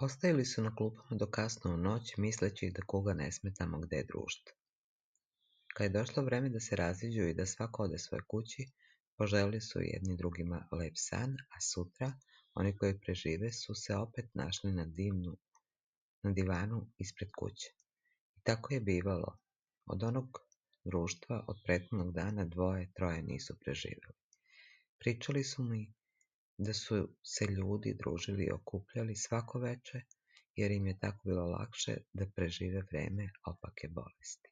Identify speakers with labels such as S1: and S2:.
S1: Ostajali su na klupama do kasno u noć, misleći da kuga ne sme tamo gde je društvo. Kad je došlo vreme da se raziđu i da svako ode svojoj kući, poželeli su jedni drugima lep san, a sutra oni koji prežive su se opet našli na divanu ispred kuće. I tako je bivalo. Od onog društva od prethodnog dana dvoje, troje nisu preživeli. Pričali su mi da su se ljudi družili i okupljali svako veče, jer im je tako bilo lakše da prežive vreme opake bolesti.